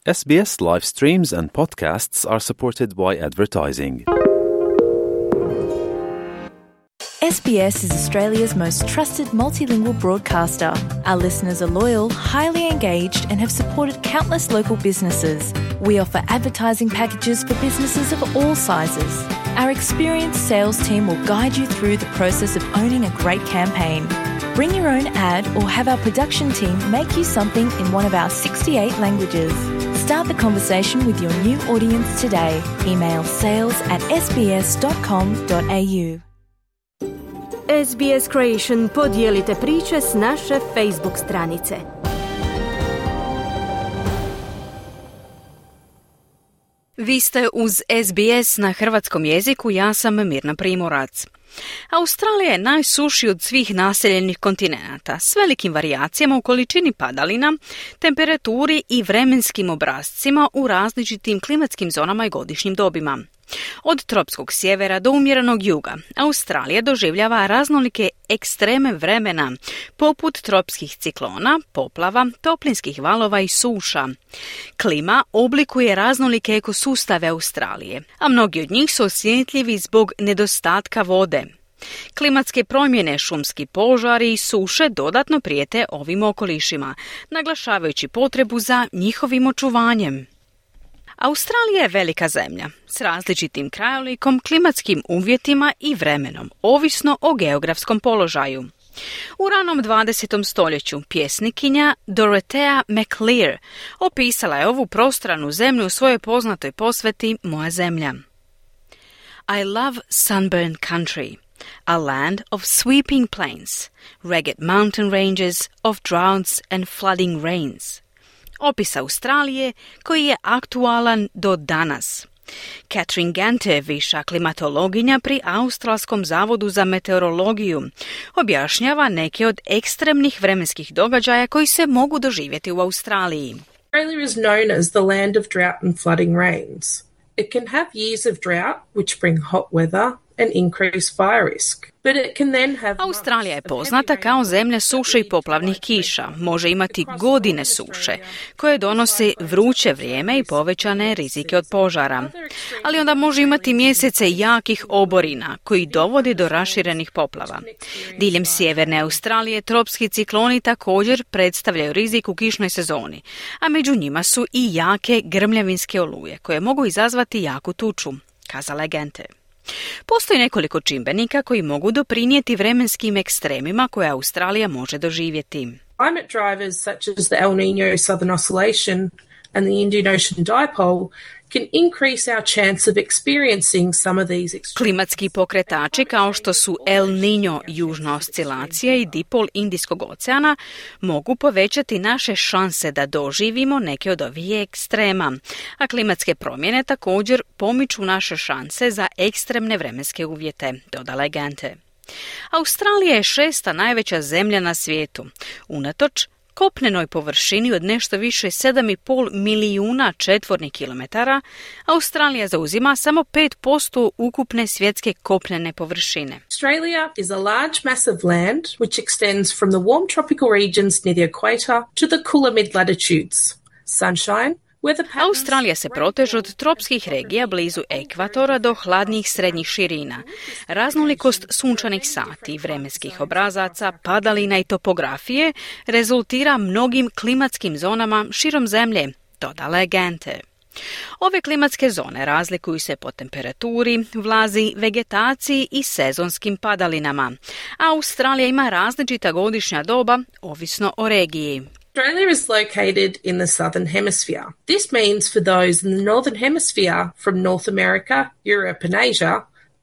SBS live streams and podcasts are supported by advertising. SBS is Australia's most trusted multilingual broadcaster. Our listeners are loyal, highly engaged, and have supported countless local businesses. We offer advertising packages for businesses of all sizes. Our experienced sales team will guide you through the process of owning a great campaign. Bring your own ad or have our production team make you something in one of our 68 languages. Start the conversation with your new audience today. Email sales@sbs.com.au. SBS Creation podijelite priče s naše Facebook stranice. Vi ste uz SBS na hrvatskom jeziku, ja sam Mirna Primorac. Australija je najsušiji od svih naseljenih kontinenata, s velikim varijacijama u količini padalina, temperaturi i vremenskim obrascima u različitim klimatskim zonama i godišnjim dobima. Od tropskog sjevera do umjerenog juga, Australija doživljava raznolike ekstreme vremena, poput tropskih ciklona, poplava, toplinskih valova i suša. Klima oblikuje raznolike ekosustave Australije, a mnogi od njih su osjetljivi zbog nedostatka vode. Klimatske promjene, šumski požari i suše dodatno prijete ovim okolišima, naglašavajući potrebu za njihovim očuvanjem. Australija je velika zemlja s različitim krajolikom, klimatskim uvjetima i vremenom, ovisno o geografskom položaju. U ranom 20. stoljeću pjesnikinja Dorothea McLear opisala je ovu prostranu zemlju u svojoj poznatoj posveti Moja zemlja. I love sunburned country, a land of sweeping plains, rugged mountain ranges of droughts and flooding rains. Opis Australije koji je aktualan do danas. Catherine Gante, viša klimatologinja pri Australskom zavodu za meteorologiju, objašnjava neke od ekstremnih vremenskih događaja koji se mogu doživjeti u Australiji. Australia is known as the land of drought and flooding rains. It can have years of drought, which bring hot weather and increase fire risk. But it can then have Australija je poznata kao zemlja suše i poplavnih kiša. Može imati godine suše, koje donose vruće vrijeme i povećane rizike od požara. Ali onda može imati mjesece jakih oborina, koji dovode do raširenih poplava. Diljem sjeverne Australije tropski cikloni također predstavljaju rizik u kišnoj sezoni, a među njima su i jake grmljavinske oluje, koje mogu izazvati jaku tuču, kazala je Gente. Postoji nekoliko čimbenika koji mogu doprinijeti vremenskim ekstremima koje Australija može doživjeti. climate drivers such as the El Niño Southern Oscillation and the Indian Ocean Dipole can increase our chance of experiencing some of these extremes. Klimatski pokretači kao što su El Niño južna oscilacija i dipol Indijskog oceana mogu povećati naše šanse da doživimo neke od ovih ekstrema, a klimatske promjene također pomiču naše šanse za ekstremne vremenske uvjete, dodala je Gante. Australija je 6. najveća zemlja na svijetu, unatoč kopnenoj površini od nešto više 7,5 milijuna četvornih kilometara, Australija zauzima samo 5% ukupne svjetske kopnene površine. Australia is a large mass of land which extends from the warm tropical regions near the equator to the cooler mid-latitudes. Sunshine, Australija se proteže od tropskih regija blizu ekvatora do hladnijih srednjih širina. Raznolikost sunčanih sati, vremenskih obrazaca, padalina i topografije rezultira mnogim klimatskim zonama širom zemlje, dodala je Gante. Ove klimatske zone razlikuju se po temperaturi, vlazi, vegetaciji i sezonskim padalinama. Australija ima različita godišnja doba, ovisno o regiji. Australia is located in the southern hemisphere. This means for those in the northern hemisphere from North America, Europe and Asia,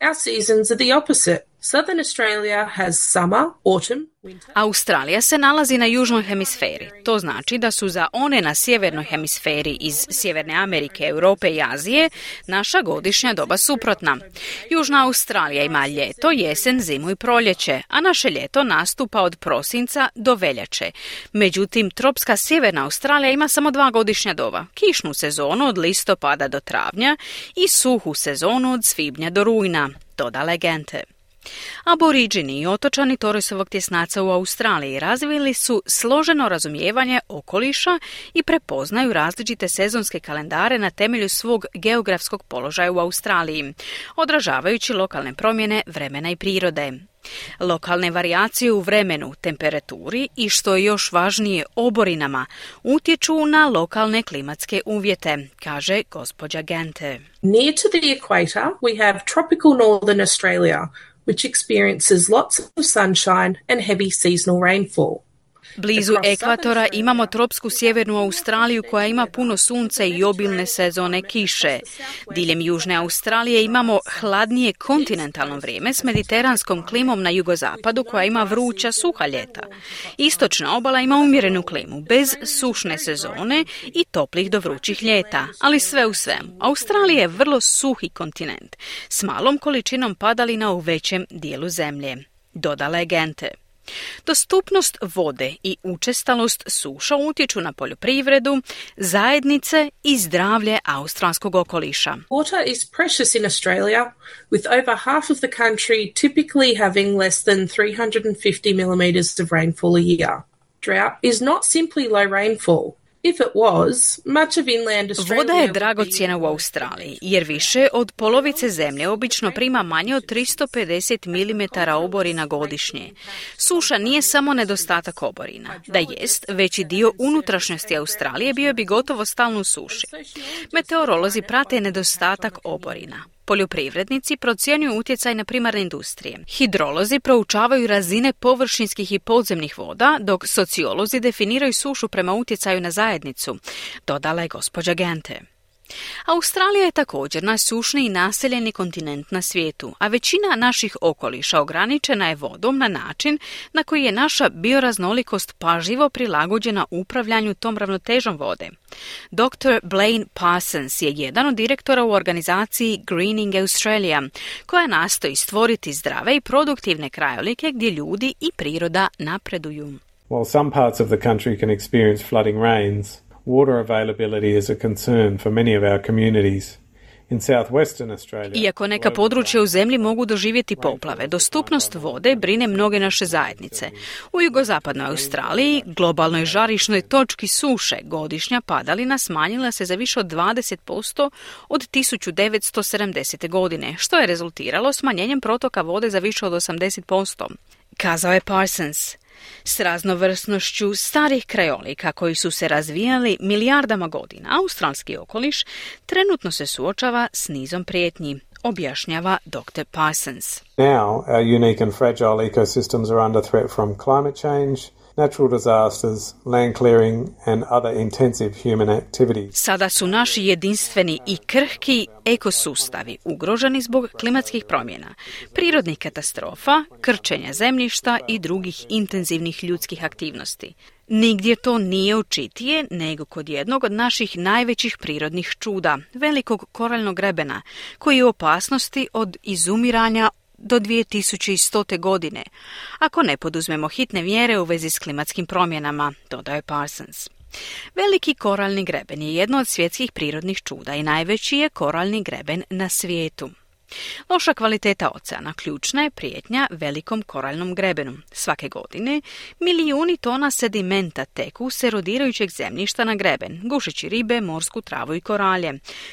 our seasons are the opposite. Southern Australia has summer, autumn, winter. Australija se nalazi na južnoj hemisferi. To znači da su za one na sjevernoj hemisferi iz Sjeverne Amerike, Europe i Azije naša godišnja doba suprotna. Južna Australija ima ljeto, jesen, zimu i proljeće, a naše ljeto nastupa od prosinca do veljače. Međutim, tropska sjeverna Australija ima samo 2 godišnja doba. Kišnu sezonu od listopada do travnja i suhu sezonu od svibnja do rujna, dodala je Gente. Aboriđini i otočani Torresovog tjesnaca u Australiji razvili su složeno razumijevanje okoliša i prepoznaju različite sezonske kalendare na temelju svog geografskog položaja u Australiji, odražavajući lokalne promjene vremena i prirode. Lokalne varijacije u vremenu, temperaturi i, što je još važnije, oborinama utječu na lokalne klimatske uvjete, kaže gospođa Gente. Near to the equator, we have tropical northern Australia, which experiences lots of sunshine and heavy seasonal rainfall. Blizu ekvatora imamo tropsku sjevernu Australiju koja ima puno sunca i obilne sezone kiše. Diljem južne Australije imamo hladnije kontinentalno vrijeme s mediteranskom klimom na jugozapadu koja ima vruća, suha ljeta. Istočna obala ima umjerenu klimu, bez sušne sezone i toplih do vrućih ljeta. Ali sve u svemu, Australija je vrlo suhi kontinent s malom količinom padalina u većem dijelu zemlje, dodala je Gente. Dostupnost vode i učestalost suša utječu na poljoprivredu, zajednice i zdravlje australskog okoliša. Water is precious in Australia, with over half of the country typically having less than 350 millimeters of rainfall a year. Drought is not simply low rainfall. If it was, much of inland Australia... Voda je dragocjena u Australiji, jer više od polovice zemlje obično prima manje od 350 mm oborina godišnje. Suša nije samo nedostatak oborina. Da jest, veći dio unutrašnjosti Australije bio bi gotovo stalno u suši. Meteorolozi prate nedostatak oborina. Poljoprivrednici procjenjuju utjecaj na primarne industrije. Hidrolozi proučavaju razine površinskih i podzemnih voda, dok sociolozi definiraju sušu prema utjecaju na zajednicu, dodala je gospođa Gente. Australija je također najsušniji naseljeni kontinent na svijetu, a većina naših okoliša ograničena je vodom na način na koji je naša bioraznolikost pažljivo prilagođena upravljanju tom ravnotežom vode. Dr. Blaine Parsons je jedan od direktora u organizaciji Greening Australia, koja nastoji stvoriti zdrave i produktivne krajolike gdje ljudi i priroda napreduju. While some parts of the country can experience flooding rains, water availability is a concern for many of our communities. In southwestern Australia, iako neka područja u zemlji mogu doživjeti poplave, dostupnost vode brine mnoge naše zajednice. U jugozapadnoj Australiji, globalnoj žarišnoj točki suše, godišnja padalina smanjila se za više od 20% od 1970. godine, što je rezultiralo smanjenjem protoka vode za više od 80%, kazao je Parsons. S raznovrsnošću starih krajolika koji su se razvijali milijardama godina, australski okoliš trenutno se suočava s nizom prijetnji, objašnjava Dr. Parsons. Now, our unique and fragile ecosystems are under threat from climate change, natural disasters, land clearing and other intensive human activities. Sada su naši jedinstveni i krhki ekosustavi ugroženi zbog klimatskih promjena, prirodnih katastrofa, krčenja zemljišta i drugih intenzivnih ljudskih aktivnosti. Nigdje to nije očitije nego kod jednog od naših najvećih prirodnih čuda, velikog koraljnog grebena, koji je u opasnosti od izumiranja do 2100. godine, ako ne poduzmemo hitne mjere u vezi s klimatskim promjenama, dodaje Parsons. Veliki koralni greben je jedno od svjetskih prirodnih čuda i najveći je koralni greben na svijetu. Loša kvaliteta oceana ključna je prijetnja velikom koralnom grebenu. Svake godine milijuni tona sedimenta teku s erodirajućeg zemljišta na greben, gušeći ribe, morsku travu i koralje,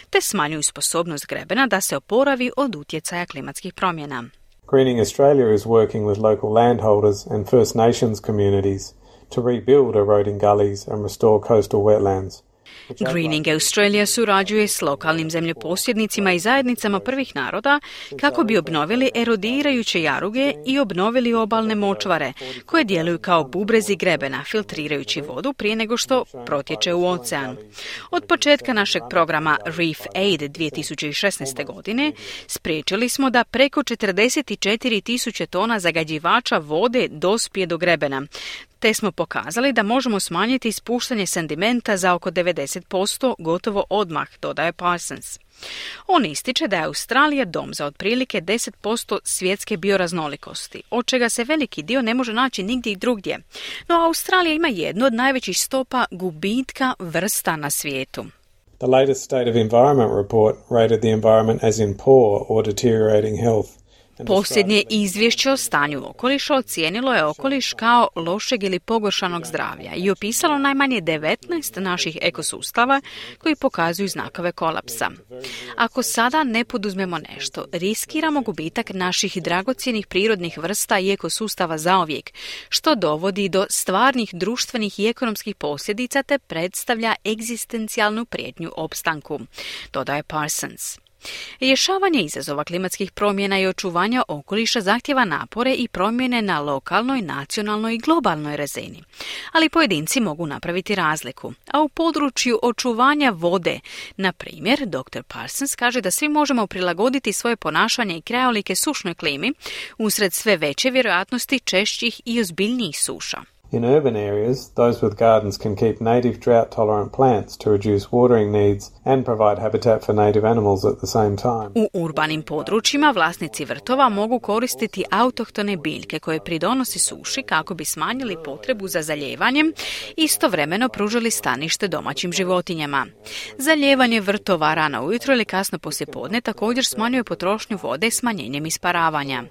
te smanjuju sposobnost grebena da se oporavi od utjecaja klimatskih promjena. Greening Australia is working with local landholders and First Nations communities to rebuild eroding gullies and restore coastal wetlands. Greening Australia surađuje s lokalnim zemljoposjednicima i zajednicama prvih naroda kako bi obnovili erodirajuće jaruge i obnovili obalne močvare, koje djeluju kao bubrezi grebena, filtrirajući vodu prije nego što protječe u ocean. Od početka našeg programa Reef Aid 2016. godine spriječili smo da preko 44.000 tona zagađivača vode dospije do grebena, te smo pokazali da možemo smanjiti ispuštanje sedimenta za oko 90% gotovo odmah, dodaje Parsons. On ističe da je Australija dom za otprilike 10% svjetske bioraznolikosti, od čega se veliki dio ne može naći nigdje drugdje. No Australija ima jednu od najvećih stopa gubitka vrsta na svijetu. The latest State of Environment report rated the environment as in poor or deteriorating health, Posljednje izvješće o stanju okoliša ocijenilo je okoliš kao lošeg ili pogoršanog zdravlja i opisalo najmanje 19 naših ekosustava koji pokazuju znakove kolapsa. Ako sada ne poduzmemo nešto, riskiramo gubitak naših dragocjenih prirodnih vrsta i ekosustava zauvijek, što dovodi do stvarnih društvenih i ekonomskih posljedica te predstavlja egzistencijalnu prijetnju opstanku, dodaje Parsons. Rješavanje izazova klimatskih promjena i očuvanja okoliša zahtjeva napore i promjene na lokalnoj, nacionalnoj i globalnoj razini. Ali pojedinci mogu napraviti razliku. A u području očuvanja vode, na primjer, dr. Parsons kaže da svi možemo prilagoditi svoje ponašanje i krajolike sušnoj klimi usred sve veće vjerojatnosti češćih i ozbiljnijih suša. In urban areas, those with gardens can keep native drought-tolerant plants to reduce watering needs and provide habitat for native animals at the same time. U urbanim područjima vlasnici vrtova mogu koristiti autohtone biljke koje pridonosi suši kako bi smanjili potrebu za zaljevanjem i istovremeno pružili stanište domaćim životinjama. Zaljevanje vrtova rano ujutro ili kasno poslijepodne također smanjuje potrošnju vode smanjenjem isparavanja.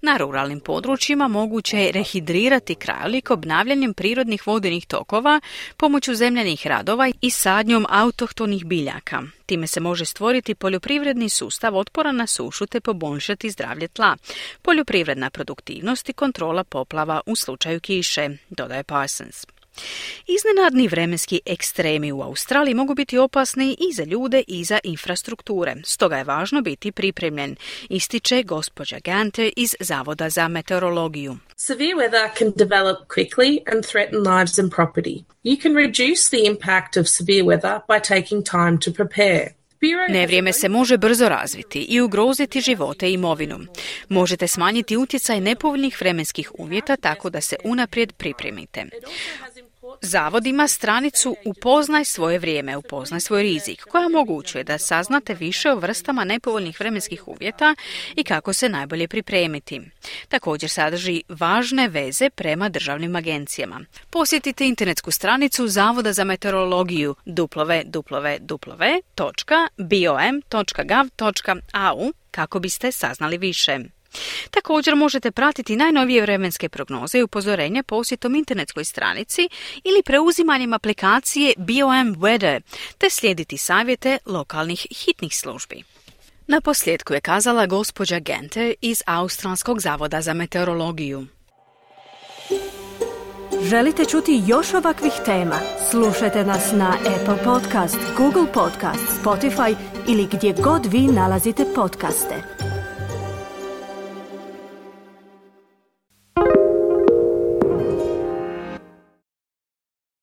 Na ruralnim područjima moguće je rehidrirati krajolik obnavljanjem prirodnih vodenih tokova, pomoću zemljanih radova i sadnjom autohtonih biljaka. Time se može stvoriti poljoprivredni sustav otporan na sušu te poboljšati zdravlje tla, poljoprivredna produktivnost i kontrola poplava u slučaju kiše, dodaje Parsons. Iznenadni vremenski ekstremi u Australiji mogu biti opasni i za ljude i za infrastrukture, stoga je važno biti pripremljen, ističe gospođa Ganter iz Zavoda za meteorologiju. Severe weather can develop quickly and threaten lives and property. You can reduce the impact of severe weather by taking time to prepare. Nevrijeme se može brzo razviti i ugroziti živote i imovinu. Možete smanjiti utjecaj nepovoljnih vremenskih uvjeta tako da se unaprijed pripremite. Zavod ima stranicu Upoznaj svoje vrijeme, upoznaj svoj rizik, koja omogućuje da saznate više o vrstama nepovoljnih vremenskih uvjeta i kako se najbolje pripremiti. Također sadrži važne veze prema državnim agencijama. Posjetite internetsku stranicu Zavoda za meteorologiju www.bom.gov.au kako biste saznali više. Također možete pratiti najnovije vremenske prognoze i upozorenja posjetom internetskoj stranici ili preuzimanjem aplikacije BOM Weather, te slijediti savjete lokalnih hitnih službi. Na posljedku je kazala gospođa Ganter iz Australskog zavoda za meteorologiju. Želite čuti još ovakvih tema? Slušajte nas na Apple Podcast, Google Podcast, Spotify ili gdje god vi nalazite podcaste.